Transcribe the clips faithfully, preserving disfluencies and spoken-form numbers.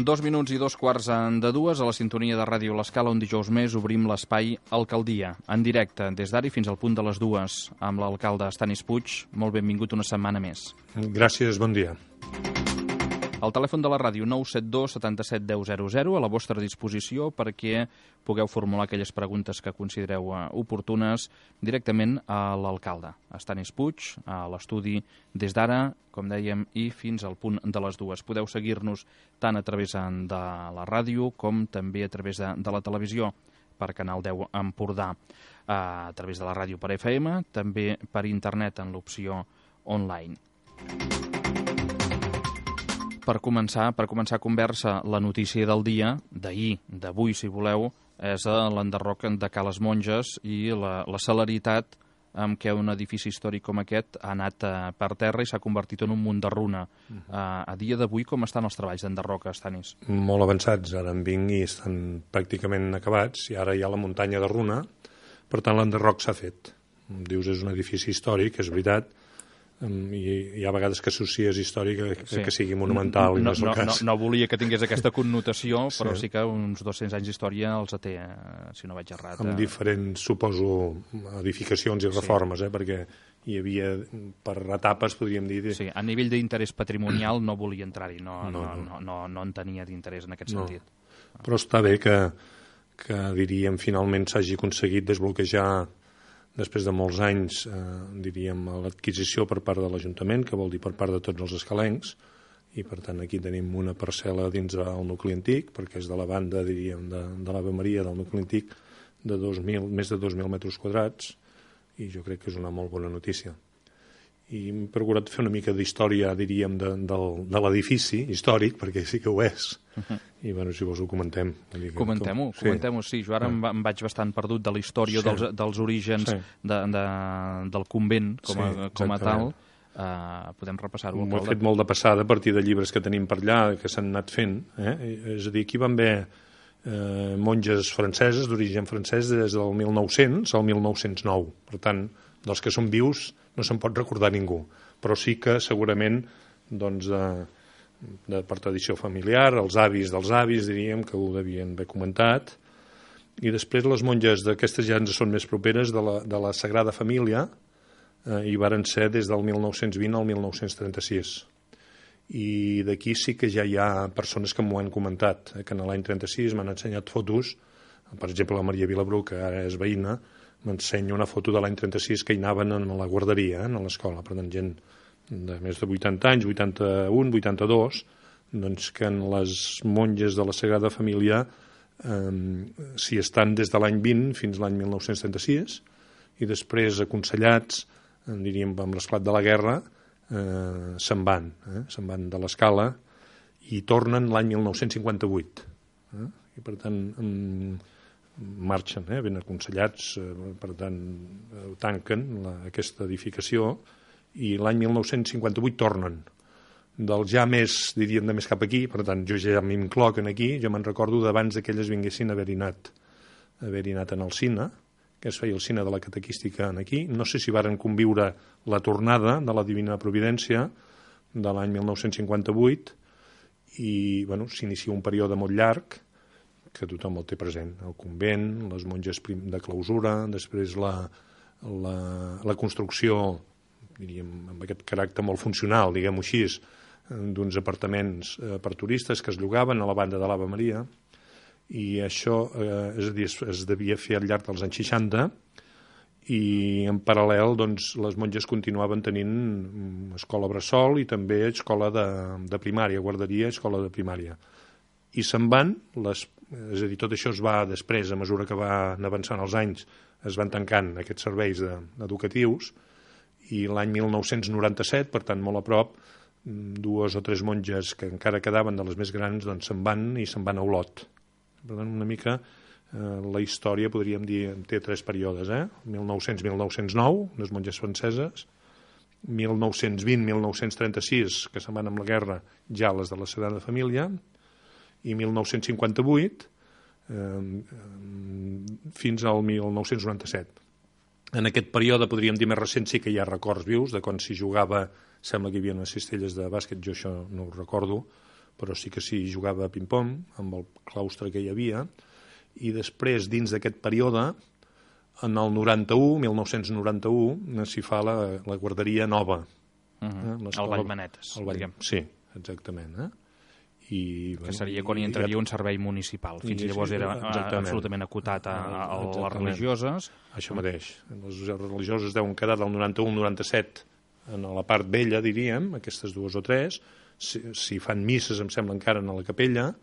Dos minuts i dos quarts de dues a la sintonia de Ràdio L'Escala, on dijous més obrim l'espai Alcaldia, en directe, des d'ara i fins al punt de les dues, amb l'alcalde Estanis Puig. Molt benvingut una setmana més. Gràcies, bon dia. El telèfon de la ràdio nou set dos setanta-set deu zero zero a la vostra disposició perquè pugueu formular aquelles preguntes que considereu oportunes directament a l'alcalde Estanis Puig, a l'estudi des d'ara, com dèiem, i fins al punt de les dues. Podeu seguir-nos tant a través de la ràdio com també a través de, de la televisió per Canal deu Empordà, a través de la ràdio per F M, també per internet en l'opció online. Per començar, per començar a conversa, la notícia del dia, d'ahir, d'avui, si voleu, és l'enderroc de Cales Monges i la, la celeritat amb què un edifici històric com aquest ha anat uh, per terra i s'ha convertit en un munt de runa. Uh, a dia d'avui, com estan els treballs d'enderroc, Estanis? Molt avançats, ara en vinc i estan pràcticament acabats, i ara hi ha la muntanya de runa, per tant l'enderroc s'ha fet. Dius, és un edifici històric, és veritat, i hi ha vegades que associes històric que, sí. que sigui monumental, no, i no és el no, cas. No, no volia que tingués aquesta connotació, però sí, sí que uns dos-cents anys d'història els té, si no vaig errat. Amb diferents, suposo, edificacions i reformes, sí. eh, perquè hi havia, per etapes, podríem dir... Sí, a nivell d'interès patrimonial no volia entrar-hi, no, no, no, no, no, no en tenia d'interès en aquest no. sentit. Però està bé que, que diríem, finalment s'hagi aconseguit desbloquejar, després de molts anys, eh, diríem, l'adquisició per part de l'Ajuntament, que vol dir per part de tots els escalencs, i per tant aquí tenim una parcel·la dins del nucli antic, perquè és de la banda, diríem, de, de l'Ave Maria, del nucli antic, de dos mil, més de dos mil metres quadrats, i jo crec que és una molt bona notícia. I hem procurat fer una mica d'història, diríem, de, de, de l'edifici històric, perquè sí que ho és. Uh-huh. I, bueno, si vols ho comentem. Comentem-ho, com... comentem-ho, sí. Jo ara ah. em vaig bastant perdut de la història sí. dels, dels orígens sí. de, de, del convent com a, sí, com a tal. Uh, podem repassar-ho. Ho he fet molt de passada a partir de llibres que tenim per allà, que s'han anat fent. Eh? És a dir, aquí van haver eh, monges franceses, d'origen francès, des del mil nou-cents al mil nou-cents nou. Per tant, dels que són vius no se'n pot recordar ningú, però sí que segurament doncs, de, de per tradició familiar, els avis dels avis, diríem, que ho devien haver comentat, i després les monges d'aquestes ja ens són més properes de la, de la Sagrada Família, eh, i varen ser des del mil nou-cents vint al mil nou-cents trenta-sis. I d'aquí sí que ja hi ha persones que m'ho han comentat, eh, que en l'any trenta-sis m'han ensenyat fotos, per exemple la Maria Vilabru, que ara és veïna, m'ensenya una foto de l'any trenta-sis que hi anaven a la guarderia, eh, a l'escola, per tant, gent de més de vuitanta anys, vuitanta-un, vuitanta-dos, doncs que en les monges de la Sagrada Família eh, s'hi estan des de l'any vint fins l'any mil nou-cents trenta-sis, i després, aconsellats, eh, diríem, amb l'esclat de la guerra, eh, se'n van, eh, se'n van de l'escala i tornen l'any mil nou-cents cinquanta-vuit. Eh? I, per tant, eh, marxen, eh, ben aconsellats, eh, per tant, eh, tanquen la, aquesta edificació, i l'any mil nou-cents cinquanta-vuit tornen. Del ja més, diríem, de més cap aquí, per tant, jo ja m'incloc aquí, jo me'n recordo d'abans que elles vinguessin a haver-hi anat, haver-hi anat en el cine, que es feia el cine de la catequística aquí. No sé si varen conviure la tornada de la Divina Providència de l'any mil nou-cents cinquanta-vuit, i, bueno, s'inicia un període molt llarg, que tothom el té present, el convent, les monges de clausura, després la, la, la construcció, diríem, amb aquest caràcter molt funcional, diguem-ho així, d'uns apartaments eh, per turistes que es llogaven a la banda de l'Ave Maria, i això eh, és a dir, es, es devia fer al llarg dels anys seixanta, i en paral·lel doncs, les monges continuaven tenint escola bressol i també escola de, de primària, guarderia, escola de primària. I se'n van, les, és a dir, tot això es va després, a mesura que van avançant els anys, es van tancant aquests serveis de, educatius, i l'any mil nou-cents noranta-set, per tant molt a prop, dues o tres monges que encara quedaven de les més grans doncs se'n van i se'n van a Olot. Per tant, una mica eh, la història, podríem dir, té tres períodes, eh? mil nou-cents a mil nou-cents nou, les monges franceses, mil nou-cents vint a mil nou-cents trenta-sis, que se'n van amb la guerra, ja les de la Sagrada Família, i mil nou-cents cinquanta-vuit eh, fins al mil nou-cents noranta-set. En aquest període, podríem dir més recent, sí que hi ha records vius de quan s'hi jugava, sembla que hi havia unes cistelles de bàsquet, jo això no ho recordo, però sí que s'hi jugava a ping-pong, amb el claustre que hi havia, i després, dins d'aquest període, en el noranta-u, mil nou-cents noranta-u, s'hi fa la, la guarderia nova. Uh -huh. eh? El Vallmanetes, el Vall... diguem. Sí, exactament. Eh? I, que seria quan hi entraria un servei municipal. Fins i, llavors era exactament. absolutament acotat a, a, a les religioses. Això mateix. Les religioses deuen quedar del noranta-u al noranta-set en la part vella, diríem, aquestes dues o tres. Si, si fan misses, em sembla, encara en la capella.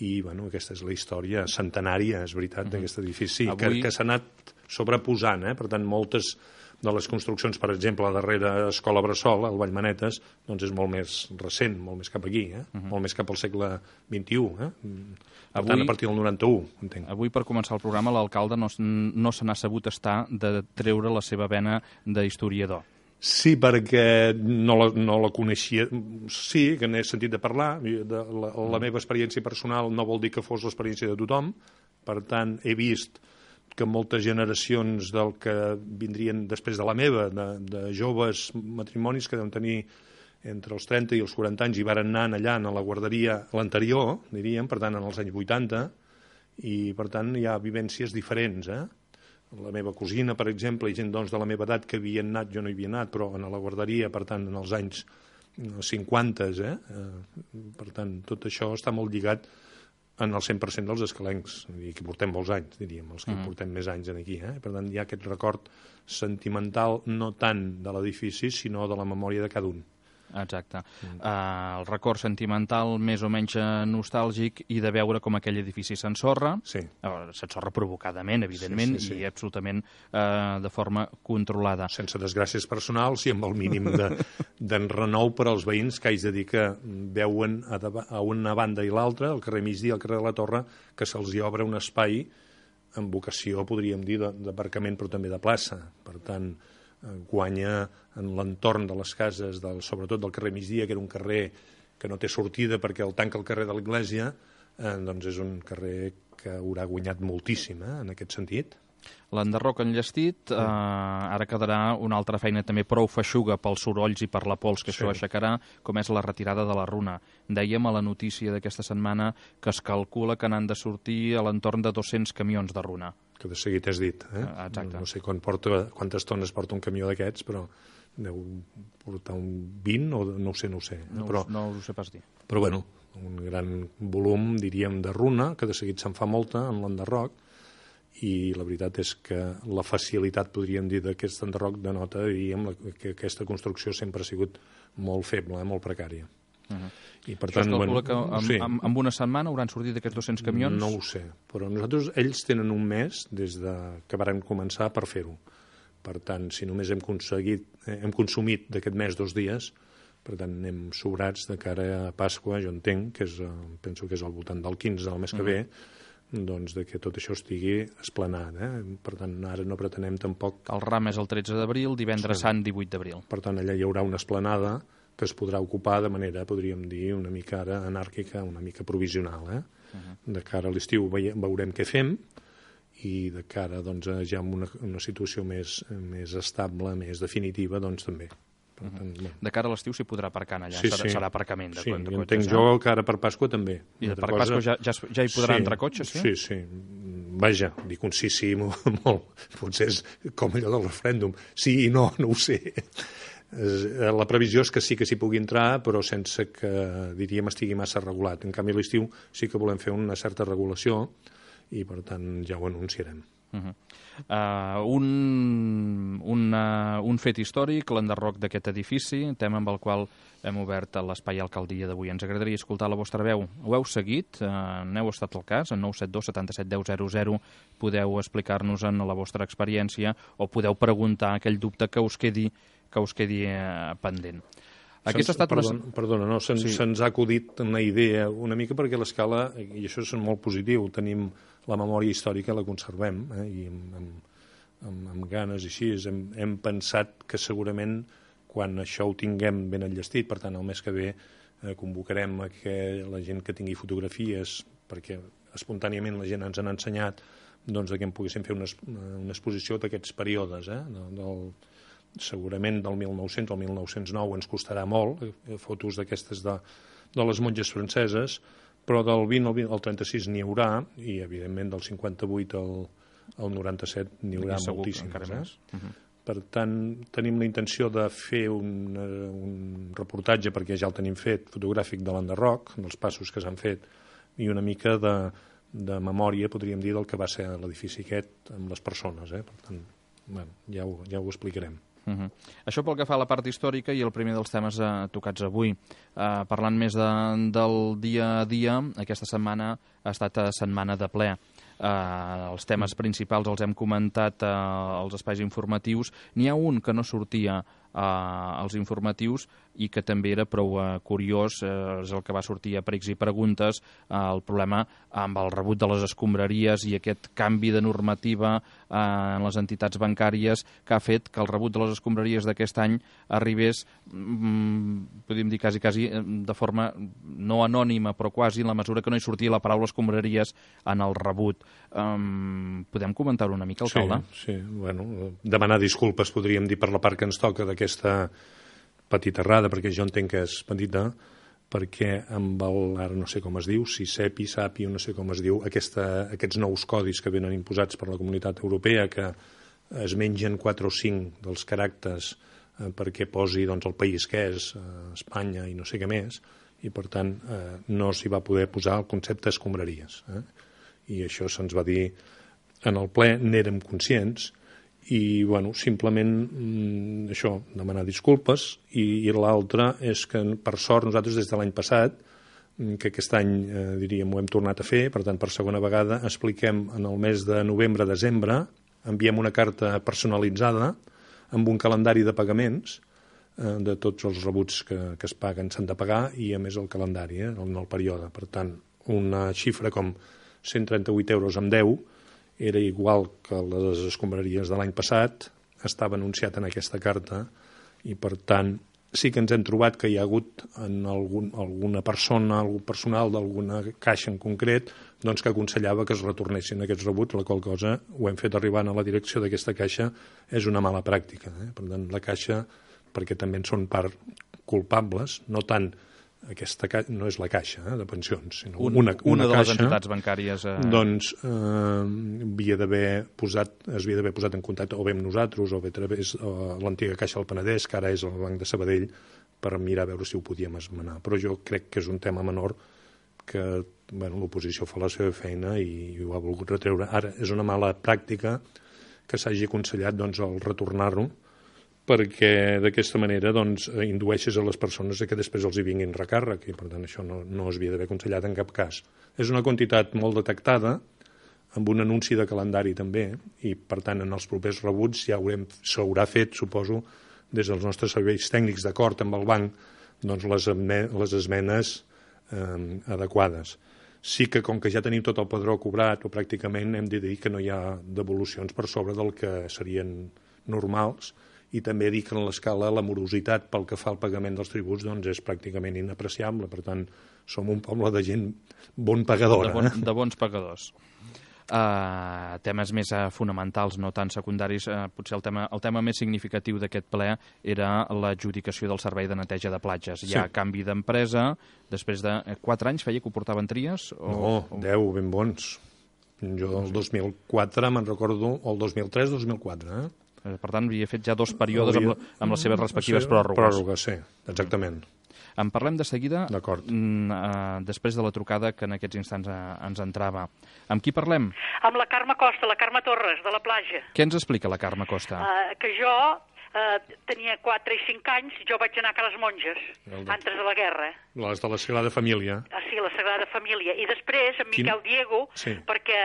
I, bueno, aquesta és la història centenària, és veritat, d'aquest uh -huh. edifici, Avui... que, que s'ha anat sobreposant, eh? Per tant, moltes de les construccions, per exemple, la darrera escola Bressol, al Vallmanetes, doncs és molt més recent, molt més cap aquí, eh? uh -huh. molt més cap al segle vint-i-u, eh? Per Avui, tant, a partir del noranta-u, entenc. Avui, per començar el programa, l'alcalde no, no se n'ha sabut estar de treure la seva vena d'historiador. Sí, perquè no la, no la coneixia. Sí, que n'he sentit de parlar. De la, la meva experiència personal no vol dir que fos l'experiència de tothom. Per tant, he vist que moltes generacions del que vindrien després de la meva, de, de joves matrimonis que deuen tenir entre els trenta i els quaranta anys i varen anar allà a la guarderia l'anterior, diríem, per tant, en els anys vuitanta, i per tant hi ha vivències diferents, eh? La meva cosina, per exemple, i gent doncs, de la meva edat que havien anat, jo no hi havia anat, però en la guarderia, per tant, en els anys cinquanta, eh? Per tant, tot això està molt lligat en el cent per cent dels escalencs, i que portem molts anys, diríem, els que mm. portem més anys aquí. Eh? Per tant, hi ha aquest record sentimental no tant de l'edifici, sinó de la memòria de cada un. Exacte. Mm. Uh, el record sentimental més o menys nostàlgic i de veure com aquell edifici s'ensorra, sí. uh, s'ensorra provocadament, evidentment, sí, sí, sí. i absolutament uh, de forma controlada. Sense desgràcies personals i amb el mínim d'enrenou de, per als veïns, que haig de dir que veuen a, de, a una banda i l'altra, al carrer Migdia, al carrer de la Torre, que se'ls hi obre un espai amb vocació, podríem dir, d'aparcament, però també de plaça. Per tant, guanya en l'entorn de les cases, del, sobretot del carrer Migdia, que era un carrer que no té sortida perquè el tanca el carrer de l'Església, eh, doncs és un carrer que haurà guanyat moltíssim, eh, en aquest sentit. L'enderroc enllestit, eh, ara quedarà una altra feina també prou feixuga pels sorolls i per la pols que sí. això aixecarà, com és la retirada de la runa. Dèiem a la notícia d'aquesta setmana que es calcula que n'han de sortir a l'entorn de dos-cents camions de runa. Que de seguit has dit, eh? Exacte. No, no sé quan porta, quantes tones porta un camió d'aquests, però deu portar un vint o no ho sé, no ho sé. Eh? No, però, no ho sé pas dir. Però bueno, un gran volum, diríem, de runa, que de seguit se'n fa molta en l'enderroc, i la veritat és que la facilitat, podríem dir, d'aquest enderroc denota, diríem, que aquesta construcció sempre ha sigut molt feble, eh? molt precària. Uh -huh. I per tant, Això es calcula bueno, que amb, sí. amb, amb una setmana hauran sortit aquests dos-cents camions? No ho sé, però nosaltres, ells tenen un mes des de que varen començar per fer-ho. Per tant, si només hem aconseguit, eh, hem consumit d'aquest mes dos dies, per tant, anem sobrats de cara a Pasqua, jo entenc, que és, eh, penso que és al voltant del quinze del mes que ve, uh-huh. doncs de que tot això estigui esplanat. Eh? Per tant, ara no pretenem tampoc... El ram és el tretze d'abril, divendres sí. sant divuit d'abril. Per tant, allà hi haurà una esplanada que es podrà ocupar de manera, podríem dir, una mica ara anàrquica, una mica provisional. Eh? Uh-huh. De cara a l'estiu veurem què fem, i de cara doncs, ja a una, una situació més, més estable, més definitiva, doncs també. Per tant, uh-huh. bueno. De cara a l'estiu s'hi podrà aparcar allà, sí, serà, sí. serà aparcament de, sí, de cotxes. Sí, entenc jo que ara per Pasqua també. I per cosa... Pasqua ja, ja, ja hi podrà sí, entrar cotxes, sí? Sí, sí. Vaja, dic un sí, sí, molt, molt. Potser és com allò del referèndum. Sí i no, no ho sé. La previsió és que sí que s'hi pugui entrar, però sense que, diríem, estigui massa regulat. En canvi, a l'estiu sí que volem fer una certa regulació i, per tant, ja ho anunciarem. Uh-huh. uh, un, un, uh, un fet històric, l'enderroc d'aquest edifici, tema amb el qual hem obert l'espai alcaldia d'avui. Ens agradaria escoltar la vostra veu. Ho heu seguit? Uh, n'heu estat al cas? En nou set dos setanta-set deu zero zero podeu explicar-nos en la vostra experiència o podeu preguntar aquell dubte que us quedi que us quedi eh, pendent. Aquesta ha estat perdona, una... perdona, no, se'ns sí. se ha acudit una idea una mica perquè l'escala, i això és molt positiu, tenim la memòria històrica, la conservem, eh, i amb, amb, amb, amb ganes i així, hem, hem pensat que segurament quan això ho tinguem ben enllestit, per tant el mes que ve eh, convocarem a que la gent que tingui fotografies, perquè espontàniament la gent ens han ensenyat doncs, que en poguéssim fer una, una exposició d'aquests períodes, eh, del segurament del mil nou-cents al mil nou-cents nou ens costarà molt, eh, fotos d'aquestes de, de les monges franceses, però del vint al, al trenta-sis n'hi haurà, i evidentment del cinquanta-vuit al, al noranta-set n'hi haurà moltíssimes. Eh? Uh -huh. Per tant, tenim la intenció de fer un, un reportatge, perquè ja el tenim fet, fotogràfic de l'enderroc, dels passos que s'han fet, i una mica de, de memòria, podríem dir, del que va ser l'edifici aquest amb les persones. Eh? Per tant, bueno, ja, ho, ja ho explicarem. Uh -huh. Això pel que fa a la part històrica i el primer dels temes eh, tocats avui. Eh, parlant més de, del dia a dia, aquesta setmana ha estat a setmana de ple. Eh, els temes principals els hem comentat eh, als espais informatius. N'hi ha un que no sortia eh, als informatius i que també era prou eh, curiós, eh, és el que va sortir a pregs i preguntes, eh, el problema amb el rebut de les escombraries i aquest canvi de normativa eh, en les entitats bancàries que ha fet que el rebut de les escombraries d'aquest any arribés, mm, podríem dir quasi, quasi de forma no anònima, però quasi, en la mesura que no hi sortia la paraula escombraries en el rebut. Um, podem comentar-ho una mica, alcalde? Sí, sí, bueno, demanar disculpes, podríem dir, per la part que ens toca d'aquesta petita errada, perquè jo entenc que és petita, perquè amb el, ara no sé com es diu, si SEPI, SAPI, no sé com es diu, aquesta, aquests nous codis que venen imposats per la Comunitat Europea, que es mengen quatre o cinc dels caràcters eh, perquè posi doncs, el país que és, eh, Espanya i no sé què més, i per tant eh, no s'hi va poder posar el concepte escombraries. Eh? I això se'ns va dir en el ple, n'érem conscients, i bueno, simplement mm, això, demanar disculpes, i, i l'altre és que per sort nosaltres des de l'any passat, que aquest any eh, diríem ho hem tornat a fer, per tant per segona vegada expliquem en el mes de novembre-desembre, enviem una carta personalitzada amb un calendari de pagaments eh, de tots els rebuts que, que es paguen, s'han de pagar, i a més el calendari, eh, en el període. Per tant, una xifra com cent trenta-vuit euros amb deu era igual que les escombraries de l'any passat, estava anunciat en aquesta carta, i per tant sí que ens hem trobat que hi ha hagut en algun, alguna persona, algun personal d'alguna caixa en concret, doncs que aconsellava que es retornessin aquests rebuts, la qual cosa ho hem fet arribant a la direcció d'aquesta caixa, és una mala pràctica. Eh? Per tant, la caixa, perquè també en són part culpables, no tant aquesta ca... no és la caixa eh, de pensions, sinó Un, una, una, una de caixa, les entitats bancàries. Eh... Doncs eh, havia d'haver posat, es havia d'haver posat en contacte o bé amb nosaltres o bé a través de l'antiga Caixa del Penedès, que ara és el Banc de Sabadell, per mirar a veure si ho podíem esmenar. Però jo crec que és un tema menor que bueno, l'oposició fa la seva feina i, i ho ha volgut retreure. Ara és una mala pràctica que s'hagi aconsellat doncs, el retornar-ho, perquè d'aquesta manera doncs, indueixes a les persones que després els hi vinguin recàrrec, i per tant això no, no es havia d'haver aconsellat en cap cas. És una quantitat molt detectada, amb un anunci de calendari també, i per tant en els propers rebuts ja s'haurà fet, suposo, des dels nostres serveis tècnics d'acord amb el banc, doncs les, les esmenes eh, adequades. Sí que com que ja tenim tot el padró cobrat, o pràcticament hem de dir que no hi ha devolucions per sobre del que serien normals, i també dir que en l'escala la morositat pel que fa al pagament dels tributs doncs és pràcticament inapreciable. Per tant, som un poble de gent bon pagadora. De, bon, de bons pagadors. Uh, temes més uh, fonamentals, no tan secundaris. Uh, potser el tema, el tema més significatiu d'aquest ple era l'adjudicació del servei de neteja de platges. Hi ha sí. canvi d'empresa. Després de quatre anys feia que ho portaven Tries? O... No, deu, ben bons. Jo el dos mil quatre me'n recordo, o el dos mil tres dos mil quatre, eh? Per tant, havia fet ja dos períodes havia... amb, amb les seves respectives sí, pròrrogues. Pròrrogues, sí, exactament. En parlem de seguida, D'acord. Uh, després de la trucada que en aquests instants uh, ens entrava. Amb qui parlem? Amb la Carme Costa, la Carme Torres, de la platja. Què ens explica la Carme Costa? Uh, que jo uh, tenia quatre i cinc anys, jo vaig anar a Cales Monges, de... antes de la guerra. Les de la Sagrada Família. Ah, sí, la Sagrada Família. I després, en Miquel Quin... Diego, sí. perquè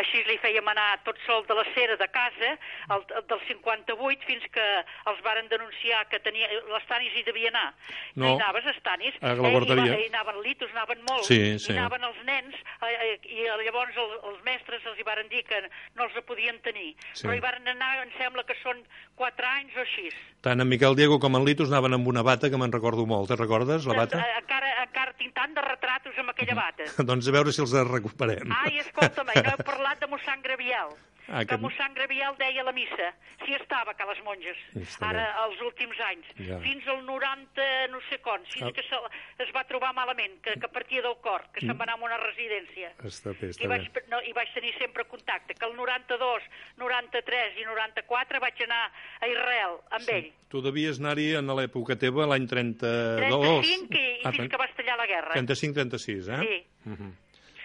així li fèiem anar tot sol de la cera de casa, el, el del cinquanta-vuit, fins que els varen denunciar que tenia... Les Tanis hi devia anar. No, no hi anaves, els Tanis. A la guarderia. Hi, hi anaven litos, anaven molt. Sí, sí. Hi anaven els nens, eh, i llavors el, els mestres els hi varen dir que no els podien tenir. Sí. Però hi varen anar, em sembla que són quatre anys o així. Tant en Miquel Diego com en Litos anaven amb una bata que me'n recordo molt. Te'n recordes, la bata? Encara, encara tinc tant de retratos amb aquella bata. Doncs a veure si els recuperem. Ai, escolta'm, no heu parlat de mossèn Graviel. ah, que, que mossèn Graviel deia la missa, si estava a les monges, ara els últims anys, ja. Fins al noranta no sé com, fins ah. que se, es va trobar malament, que, que partia del cor, que mm. se'n va anar a una residència. Està bé, està I vaig, no, I vaig tenir sempre contacte, que el noranta-dos, noranta-tres i noranta-quatre vaig anar a Israel amb sí. ell. Tu devies anar-hi en l'època teva, l'any trenta-dos. trenta-cinc i, i ah, fins que va estallar la guerra. trenta-cinc trenta-sis, eh? Sí. Uh -huh.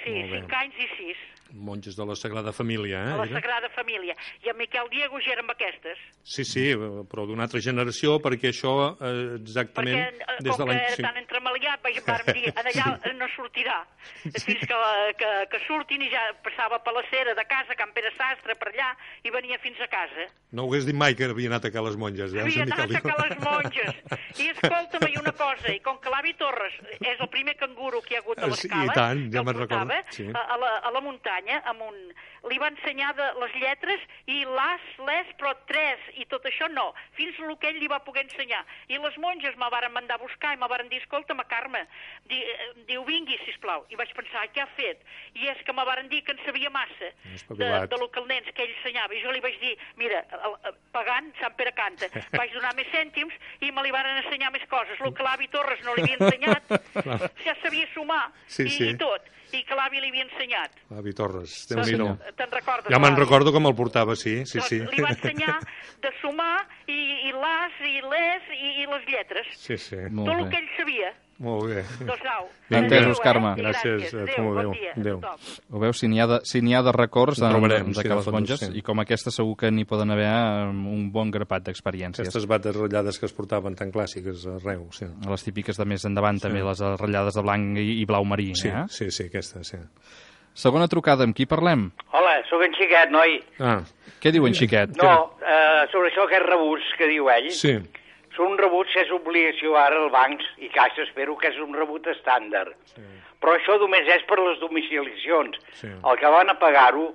Sí, cinc anys i sis. Monges de la Sagrada Família, eh? De la Sagrada Família. I en Miquel Diego ja eren aquestes. Sí, sí, però d'una altra generació, perquè això eh, exactament... Perquè, des com de que era tan entremaliat, vam dir, allà no sortirà. Fins que, que, que surtin i ja passava per la cera de casa, Can Pere Sastre, per allà, i venia fins a casa. No ho hagués dit mai que havia anat a ca les monges, eh? Havia anat a ca les monges. I escolta'm, i una cosa, i com que l'avi Torres és el primer canguro que hi ha hagut a l'escala, sí, i tant, ja me'n recordo. Sí. A, a, la, a la muntanya, amb un... li va ensenyar de les lletres i l'as, les, però tres, i tot això no, fins el que ell li va poder ensenyar. I les monges me varen mandar a buscar i me varen dir, escolta'm, Carme, di, diu, vingui, sisplau. I vaig pensar, què ha fet? I és que me varen dir que en sabia massa de, de lo que el nens que ell ensenyava. I jo li vaig dir, mira, pagant, Sant Pere canta. Vaig donar més cèntims i me li varen ensenyar més coses. El que l'avi Torres no li havia ensenyat, ja sabia sumar sí, i, sí. i tot. I que l'avi li havia ensenyat. L'avi Torres, déu sí, no. Te'n recordes? Ja me'n recordo com el portava, sí, sí, doncs sí. Li va ensenyar de sumar i, i l'as i les i, i les lletres. Sí, sí. Tot el que ell sabia. Molt bé. Doncs au. Entesos, Carme. Eh? Gràcies. Gràcies. Adéu, bon dia. Adéu. Ho veus, si n'hi ha, de, si n'hi ha de records de, trobarem, de, de sí, que les fons, monges, sí. i com aquesta segur que n'hi poden haver un bon grapat d'experiències. Aquestes bates ratllades que es portaven tan clàssiques arreu, sí. Les típiques de més endavant, sí. També, les ratllades de blanc i, i blau marí. Sí, eh? sí, sí, aquesta, sí. Segona trucada, amb qui parlem? Hola, sóc en Xiquet, noi. Ah. Què diu en Xiquet? No, eh, sobre això que és rebuts que diu ell. Sí. Són rebuts que és obligació ara als bancs i Caixa, espero que és un rebut estàndard. Sí. Però això només és per les domiciliacions. Sí. El que van a pagar-ho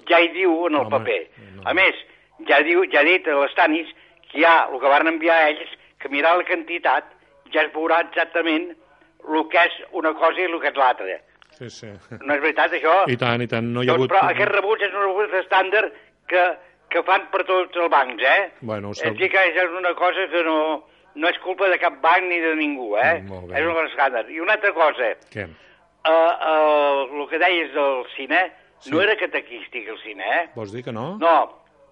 ja hi diu en el Home, paper. No. A més, ja diu, ja ha dit a les Tanis que ja el que van enviar a ells, que mirar la quantitat, ja es veurà exactament el que és una cosa i el que és l'altra. Sí, sí. No és veritat, això? I tant, i tant. No hi ha doncs, hagut... Però aquest rebut és un rebut estàndard que, que fan per tots els bancs, eh? Bueno, és dir, que és una cosa que no, no és culpa de cap banc ni de ningú, eh? Mm, és una cosa estàndard. I una altra cosa. Què? Uh, uh, el que deies del cine, sí. No era catequístic el cine, eh? Vols dir que no? No.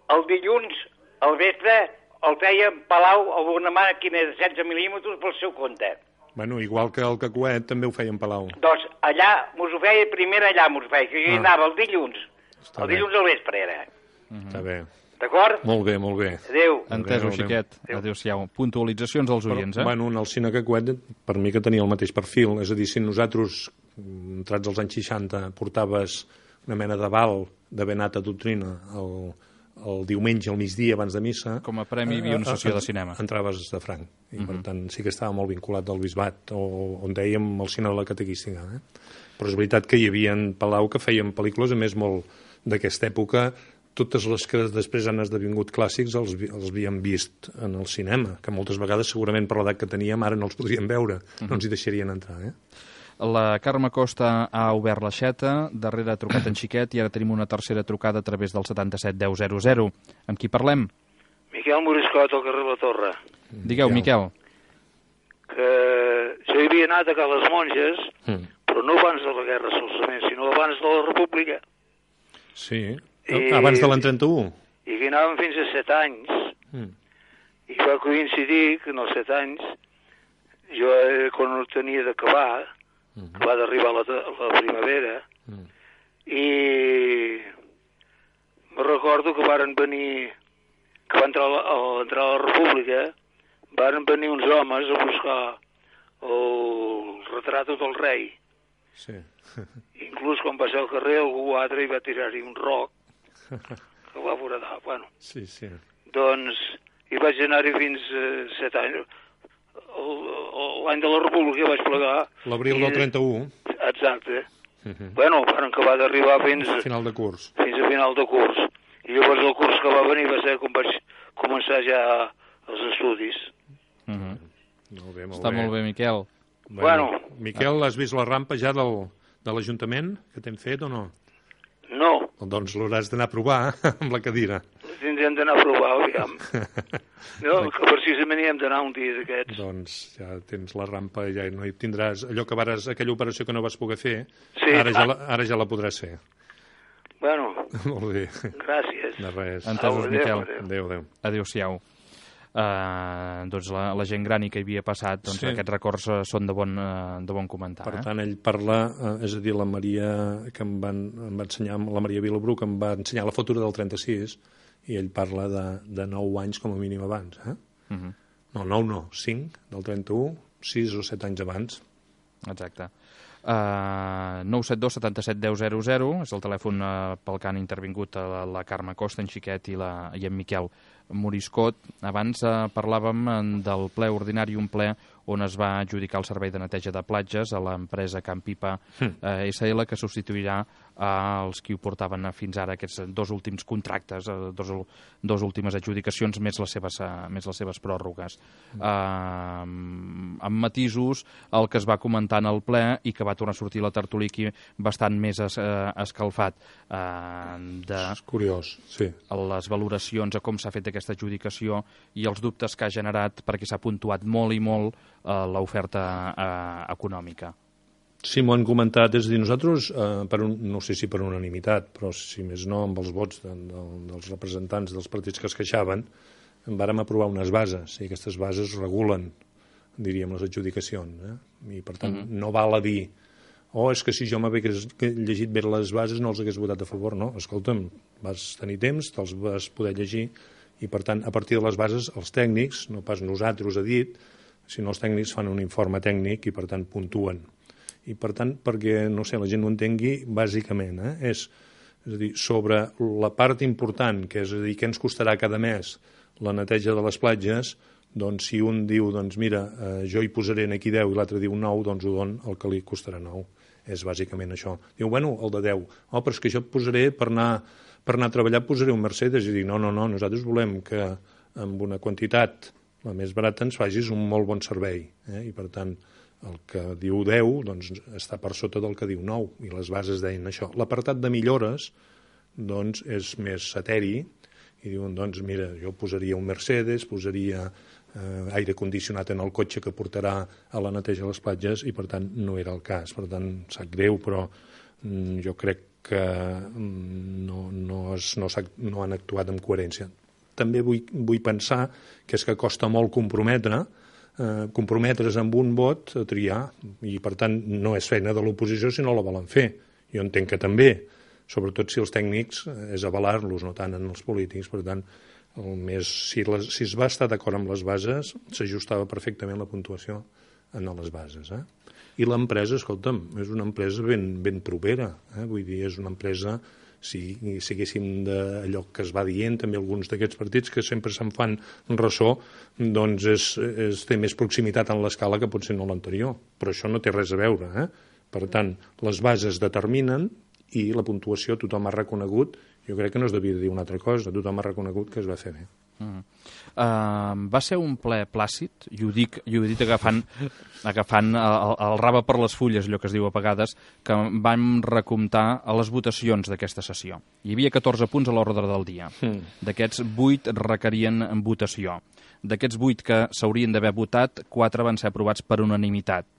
El dilluns, al vespre, el feia en Palau amb una màquina de setze mil·límetres pel seu compte. Bueno, igual que el Cacuet també ho feia en Palau. Doncs allà mos ho feia, primer allà mos ho feia, que jo ah. anava el dilluns. Està el bé. dilluns al vespre era. Mm-hmm. Està bé. D'acord? Molt bé, molt bé. Adéu. Entesos, Xiquet. Adéu-siau. Puntualitzacions als oients, eh? Bueno, en el cine Cacuet, per mi que tenia el mateix perfil. És a dir, si nosaltres, entrats als anys seixanta, portaves una mena de val de benata doctrina al... el diumenge, al migdia, abans de missa... Com a premi hi havia una sessió de cinema. Entraves de franc. I, uh-huh. per tant, sí que estava molt vinculat al bisbat, o, on dèiem el cine de la catequística. Eh? Però és veritat que hi havia en Palau que feien pel·lícules, a més, molt d'aquesta època. Totes les que després han esdevingut clàssics els, els havíem vist en el cinema, que moltes vegades, segurament per l'edat que teníem, ara no els podríem veure. Uh-huh. No ens hi deixarien entrar, eh? La Carme Costa ha obert l'aixeta, darrere ha trucat en Xiquet i ara tenim una tercera trucada a través del setanta-set deu zero zero. Amb qui parlem? Miquel Moriscot, al carrer La Torre. Digueu, Miquel. Que jo hi havia anat a ca les monges, mm. però no abans de la guerra solament, sinó abans de la república. Sí, I, abans de l'any trenta-u. I que anàvem fins a set anys. Mm. I va coincidir que en els set anys, jo quan ho tenia d'acabar, Mm-hmm. va d'arribar la, la primavera mm. i me recordo que varen venir que va entrar a, la, a entrar a la república varen venir uns homes a buscar el retrat del rei sí. inclús quan va ser al carrer algú altre hi va tirar-hi un roc que va foradar bueno. sí, sí. Doncs hi vaig anar-hi fins a set anys. L'any de la República vaig plegar... L'abril del trenta-u. Exacte. Uh-huh. Bueno, van acabar d'arribar fins... A final de curs. Fins a final de curs. I llavors el curs que va venir va ser quan vaig començar ja els estudis. Uh-huh. Molt bé, molt Està bé. molt bé, Miquel. Bueno... Miquel, has vist la rampa ja del, de l'Ajuntament que t'hem fet o no? No. Doncs l'hauràs d'anar a provar amb la cadira. Tindrem d'anar a provar, aviam. No, que precisament hi hem d'anar un dia d'aquests. Doncs ja tens la rampa, ja no hi tindràs... Allò que vares, aquella operació que no vas poder fer, sí, ara, ja la, ara ja la podràs fer. Bueno, molt bé. Gràcies. De res. Entesos, Miquel. Adéu, adéu. Adéu-siau. Uh, doncs la, la gent gran i que hi havia passat, doncs sí. Aquests records uh, són de bon, uh, de bon comentar. Per eh? tant, ell parla, uh, és a dir, la Maria que em, van, em va ensenyar, la Maria Vilabru, que em va ensenyar la foto del trenta-sis, i ell parla de, de nou anys com a mínim abans. Eh? Uh -huh. No, nou no, cinc, del trenta-u, sis o set anys abans. Exacte. Uh, nou set dos setanta-set deu zero zero és el telèfon uh, pel que han intervingut uh, la Carme Costa, en Xiquet i, la, i en Miquel Moriscot. Abans uh, parlàvem del ple ordinari, un ple on es va adjudicar el servei de neteja de platges a l'empresa Campipa eh, S L, que substituirà als qui ho portaven fins ara, aquests dos últims contractes, dos, dos últimes adjudicacions, més les seves, més les seves pròrrogues. Mm. Eh, amb matisos, el que es va comentar en el ple i que va tornar a sortir la tertúlia aquí bastant més es, eh, escalfat. Eh, de és curiós, sí. Les valoracions a com s'ha fet aquesta adjudicació i els dubtes que ha generat, perquè s'ha puntuat molt i molt eh, l'oferta eh, econòmica. Sí, m'ho han comentat. És a dir, nosaltres, eh, per un, no sé si per unanimitat, però si més no amb els vots de, de, dels representants dels partits que es queixaven, vàrem aprovar unes bases, i aquestes bases regulen, diríem, les adjudicacions. Eh? I, per tant, mm-hmm. no val a dir oh, és que si jo m'hagués llegit bé les bases no els hagués votat a favor. No, escolta'm, vas tenir temps, te'ls vas poder llegir, i, per tant, a partir de les bases, els tècnics, no pas nosaltres ha dit, sinó els tècnics fan un informe tècnic i, per tant, puntuen. I, per tant, perquè, no sé, la gent ho entengui, bàsicament, eh, és, és a dir, sobre la part important, que és a dir, què ens costarà cada mes la neteja de les platges, doncs si un diu, doncs mira, eh, jo hi posaré aquí deu i l'altre diu nou, doncs ho don el que li costarà nou. És bàsicament això. Diu, bueno, el de deu. Oh, però és que jo et posaré per anar, per anar a treballar, posaré un Mercedes. I dic, no, no, no, nosaltres volem que amb una quantitat, la més barata, ens facis un molt bon servei. Eh? I, per tant, el que diu deu doncs, està per sota del que diu nou, i les bases deien això. L'apartat de millores doncs, és més eteri, i diuen, doncs, mira, jo posaria un Mercedes, posaria eh, aire condicionat en el cotxe que portarà a la neteja de les platges, i, per tant, no era el cas. Per tant, sap greu, però mm, jo crec que mm, no, no, es, no, no han actuat amb coherència. També vull, vull pensar que és que costa molt comprometre, eh, comprometre's amb un vot a triar, i, per tant, no és feina de l'oposició si no la volen fer. Jo entenc que també, sobretot si els tècnics és avalar-los, no tant en els polítics. Per tant, el més, si, les, si es va estar d'acord amb les bases, s'ajustava perfectament la puntuació en les bases. Eh? I l'empresa, escolta'm, és una empresa ben, ben propera. Eh? Vull dir, és una empresa, si, si haguéssim d'allò que es va dient, també alguns d'aquests partits que sempre se'n fan ressò, doncs és, és, té més proximitat en l'escala que potser no l'anterior. Però això no té res a veure. Eh? Per tant, les bases determinen i la puntuació tothom ha reconegut, jo crec que no es devia dir una altra cosa, tothom ha reconegut que es va fer bé. Mm. Uh, va ser un ple plàcid, i ho dic, i ho he dit agafant, agafant el, el rave per les fulles, allò que es diu a vegades, que vam recomptar a les votacions d'aquesta sessió. Hi havia catorze punts a l'ordre del dia. Mm. D'aquests, vuit requerien votació. D'aquests vuit que s'haurien d'haver votat, quatre van ser aprovats per unanimitat.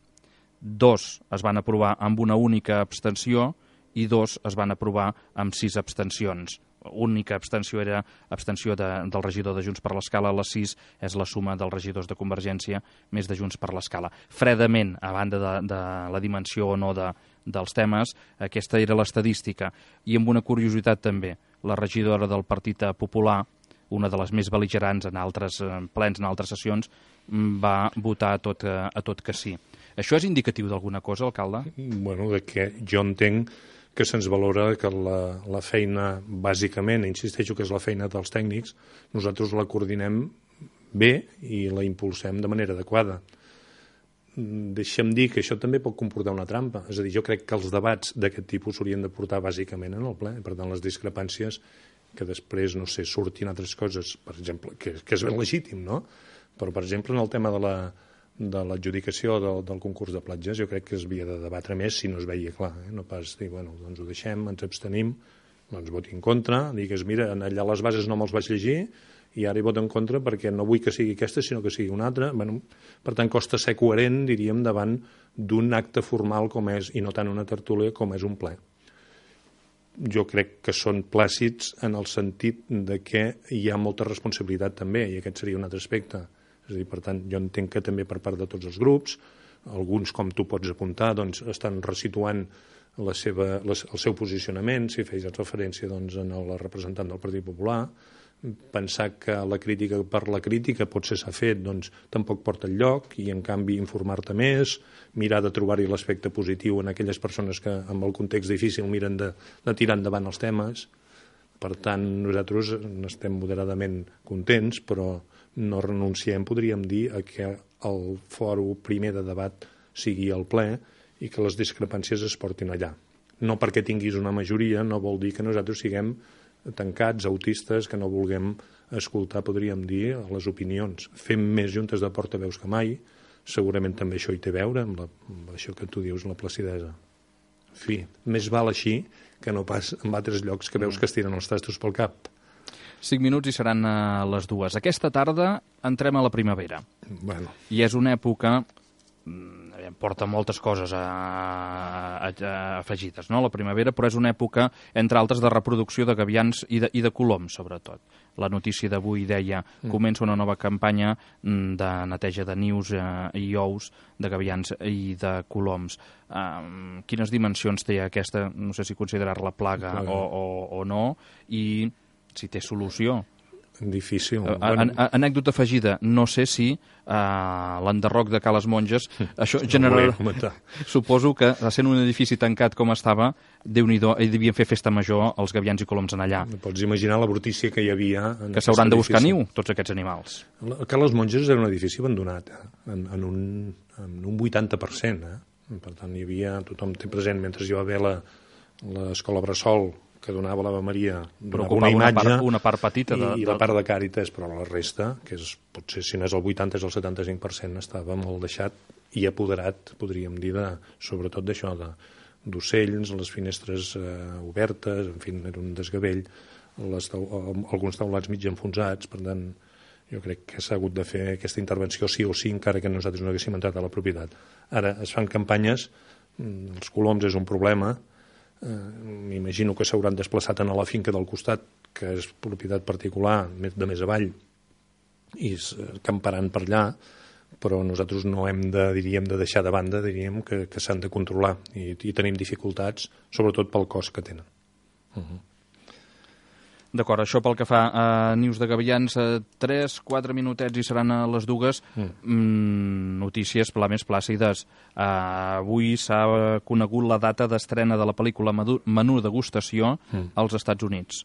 Dos es van aprovar amb una única abstenció, i dos es van aprovar amb sis abstencions. L'única abstenció era abstenció de, del regidor de Junts per l'Escala, les sis és la suma dels regidors de Convergència més de Junts per l'Escala. Fredament, a banda de, de la dimensió o no de, dels temes, aquesta era l'estadística. I amb una curiositat també, la regidora del Partit Popular, una de les més bel·ligerants en altres plens, en altres sessions, va votar a tot, a tot que sí. Això és indicatiu d'alguna cosa, alcalde? Bueno, de que jo entenc que se'ns valora que la, la feina, bàsicament, insisteixo que és la feina dels tècnics, nosaltres la coordinem bé i la impulsem de manera adequada. Deixa'm dir que això també pot comportar una trampa. És a dir, jo crec que els debats d'aquest tipus s'haurien de portar bàsicament en el ple. Per tant, les discrepàncies que després, no sé, surtin altres coses, per exemple, que, que és ben legítim, no? Però, per exemple, en el tema de la de l'adjudicació del, del concurs de platges, jo crec que es havia de debatre més si no es veia clar, eh? No pas dir, bueno, doncs ho deixem, ens abstenim doncs voti en contra, digues, mira, allà les bases no me'ls vaig llegir i ara hi voto en contra perquè no vull que sigui aquesta, sinó que sigui una altra. Bueno, per tant, costa ser coherent, diríem, davant d'un acte formal com és, i no tant una tertúlia com és un ple. Jo crec que són plàcids en el sentit de que hi ha molta responsabilitat també, i aquest seria un altre aspecte. És a dir, per tant, jo entenc que també per part de tots els grups, alguns, com tu pots apuntar, doncs, estan resituant la seva, les, el seu posicionament, si feies referència doncs, a la representant del Partit Popular. Pensar que la crítica per la crítica potser s'ha fet, doncs tampoc porta enlloc, i en canvi informar-te més, mirar de trobar-hi l'aspecte positiu en aquelles persones que amb el context difícil miren de, de tirar endavant els temes. Per tant, nosaltres estem moderadament contents, però no renunciem, podríem dir, a que el fòrum primer de debat sigui el ple i que les discrepàncies es portin allà. No perquè tinguis una majoria, no vol dir que nosaltres siguem tancats, autistes, que no vulguem escoltar, podríem dir, les opinions. Fem més juntes de portaveus que mai, segurament també això hi té a veure amb, la, amb això que tu dius, la placidesa. En fi, més val així que no pas en altres llocs que veus que es tiren els tastos pel cap. Cinc minuts i seran a les dues. Aquesta tarda entrem a la primavera. Bueno. I és una època... porta moltes coses a, a, a afegides, no?, la primavera, però és una època, entre altres, de reproducció de gavians i de, i de coloms, sobretot. La notícia d'avui deia mm. comença una nova campanya de neteja de nius eh, i ous de gavians i de coloms. Um, quines dimensions té aquesta, no sé si considerar-la plaga o, o, o no, i si té solució? Difícil. An an anècdota afegida, no sé si uh, l'enderroc de Cales Monges, això no generarà... Suposo que, sent un edifici tancat com estava, Déu-n'hi-do, hi devien fer festa major els gavians i coloms en allà. Pots imaginar la brutícia que hi havia... Que s'hauran de buscar niu, tots aquests animals. Cales Monges era un edifici abandonat, eh? en, en, un, en un vuitanta per cent. Eh? Per tant, hi havia, tothom té present, mentre hi va haver l'escola Bressol, que donava l'Ave Maria, donava una imatge, una part, una part petita de, i, i la part de Càritas, però la resta, que és, potser si no és el vuitanta és el setanta-cinc per cent, estava molt deixat i apoderat, podríem dir, de, sobretot d'això, d'ocells, les finestres eh, obertes, en fi, era un desgavell, les tau alguns taulats mig enfonsats, per tant, jo crec que s'ha hagut de fer aquesta intervenció sí o sí, encara que nosaltres no haguéssim entrat a la propietat. Ara, es fan campanyes, els coloms és un problema, m'imagino que s'hauran desplaçat a la finca del costat, que és propietat particular, de més avall, i camparan per allà, però nosaltres no hem de, diríem, de deixar de banda, diríem, que, que s'han de controlar, i, i tenim dificultats, sobretot pel cost que tenen. Uh-huh. D'acord, això pel que fa a nius de gavians, tres, quatre minutets i seran a les dues. Mm. Mm, notícies pla més plàcides. Uh, avui s'ha conegut la data d'estrena de la pel·lícula Menú Degustació mm. als Estats Units.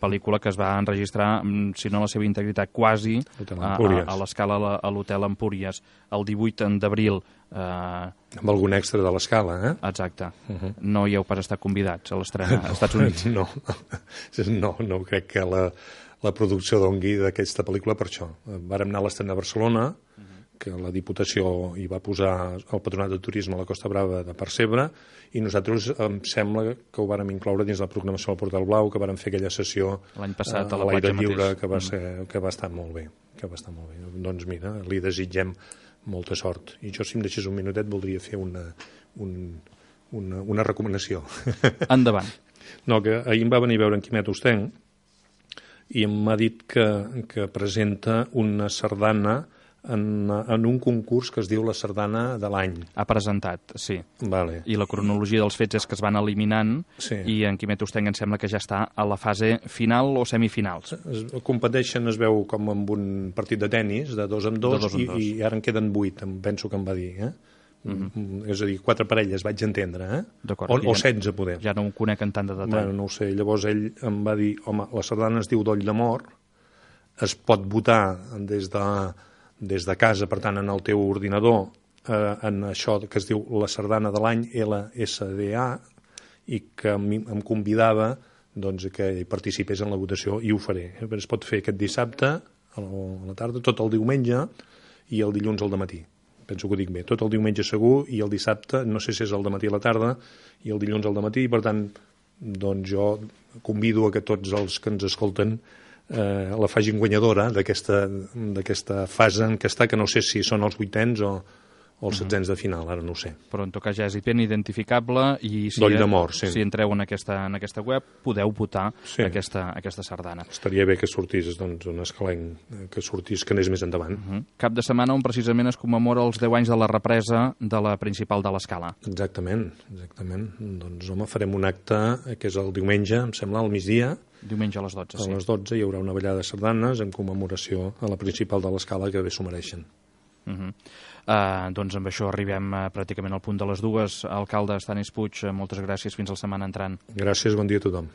Pel·lícula que es va enregistrar, si no la seva integritat, quasi a, a, a l'escala a l'Hotel Empúries, el divuit d'abril. Eh... Amb algun extra de l'escala, eh? Exacte. Uh -huh. No hi heu pas estat convidats a l'estrena als Estats Units? No, no, no crec que la, la producció dongui d'aquesta pel·lícula per això. Vàrem anar a l'estrena a Barcelona, uh -huh. que la Diputació hi va posar el Patronat de Turisme a la Costa Brava de Percebre, i nosaltres em sembla que ho vàrem incloure dins la programació del Portal Blau, que vàrem fer aquella sessió l'any passat a la platja lliure, que va, ser, que va estar molt bé, que va estar molt bé. Doncs mira, li desitgem molta sort. I jo, si em deixés un minutet, voldria fer una, un, una, una recomanació. Endavant. No, que ahir em va venir a veure en Quimet Ostenc i m'ha dit que, que presenta una sardana en, en un concurs que es diu la sardana de l'any. Ha presentat, sí. Vale. I la cronologia dels fets és que es van eliminant, sí. I en Quimet Ostenc em sembla que ja està a la fase final o semifinals. Es competeixen, es veu com amb un partit de tennis, de dos en dos, de dos, en i, dos. I ara en queden vuit, em penso que em va dir, eh? Uh-huh. És a dir, quatre parelles, vaig entendre, eh? O, o setze, poder. Ja no ho conec en tant de detall. Bueno, no ho sé. Llavors ell em va dir, home, la sardana es diu Doll d'Amor, es pot votar des de, des de casa, per tant, en el teu ordinador, eh, en això que es diu la sardana de l'any, L S D A, i que em, em convidava doncs, que hi participés en la votació, i ho faré. Es pot fer aquest dissabte, a la tarda, tot el diumenge, i el dilluns al dematí. Penso que ho dic bé, tot el diumenge segur, i el dissabte, no sé si és el dematí a la tarda, i el dilluns al dematí, i per tant, doncs jo convido a que tots els que ens escolten eh, la facin guanyadora d'aquesta fase en què està, que no sé si són els vuitens o, o els setzents de final, ara no ho sé. Però en tot cas ja és ben identificable i si, Doll de mort, sí. si entreu en aquesta, en aquesta web podeu votar sí. aquesta, aquesta sardana. Estaria bé que sortís doncs, un escalenc, que sortís, que anés més endavant. Uh -huh. Cap de setmana on precisament es commemora els deu anys de la represa de la principal de l'Escala. Exactament, exactament. Doncs home, farem un acte que és el diumenge, em sembla, al migdia. Diumenge a les dotze, sí. A les dotze hi haurà una ballada de sardanes en commemoració a la principal de l'Escala, que bé s'ho mereixen. Uh -huh. uh, doncs amb això arribem uh, pràcticament al punt de les dues. Alcalde Stanis Puig, uh, moltes gràcies, fins la setmana entrant. Gràcies, bon dia a tothom.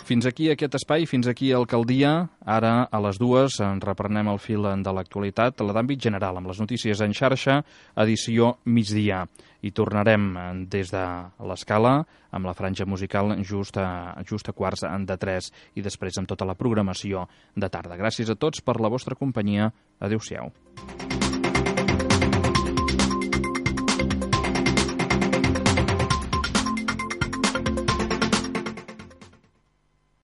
Fins aquí aquest espai, fins aquí Alcaldia. Ara a les dues en reprenem el fil de l'actualitat, la d'àmbit general, amb les notícies en xarxa, edició migdia. I tornarem des de l'Escala amb la franja musical just a, just a quarts de tres i després amb tota la programació de tarda. Gràcies a tots per la vostra companyia. Adéu-siau.